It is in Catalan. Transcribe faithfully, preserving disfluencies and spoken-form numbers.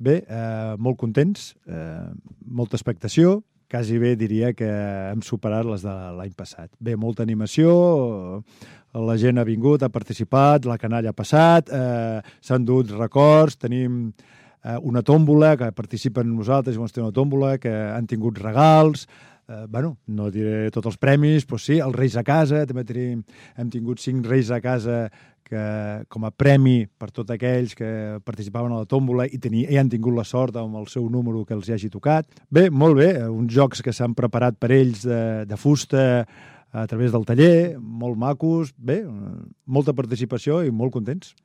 Bé, eh, molt contents, eh, molta expectació, quasi bé diria que hem superat les de l'any passat. Bé, molta animació, la gent ha vingut, ha participat, la canalla ha passat, eh, s'han dut records, tenim eh, una tòmbola que participen amb nosaltres, i una tòmbola que han tingut regals, eh, bueno, no diré tots els premis, però sí, els Reis a casa, també tenim, hem tingut cinc Reis a casa que, com a premi per tots aquells que participaven a la tòmbola i, teni, i han tingut la sort amb el seu número que els hi hagi tocat. Bé, molt bé, uns jocs que s'han preparat per ells de, de fusta a través del taller, molt macos, bé, molta participació i molt contents.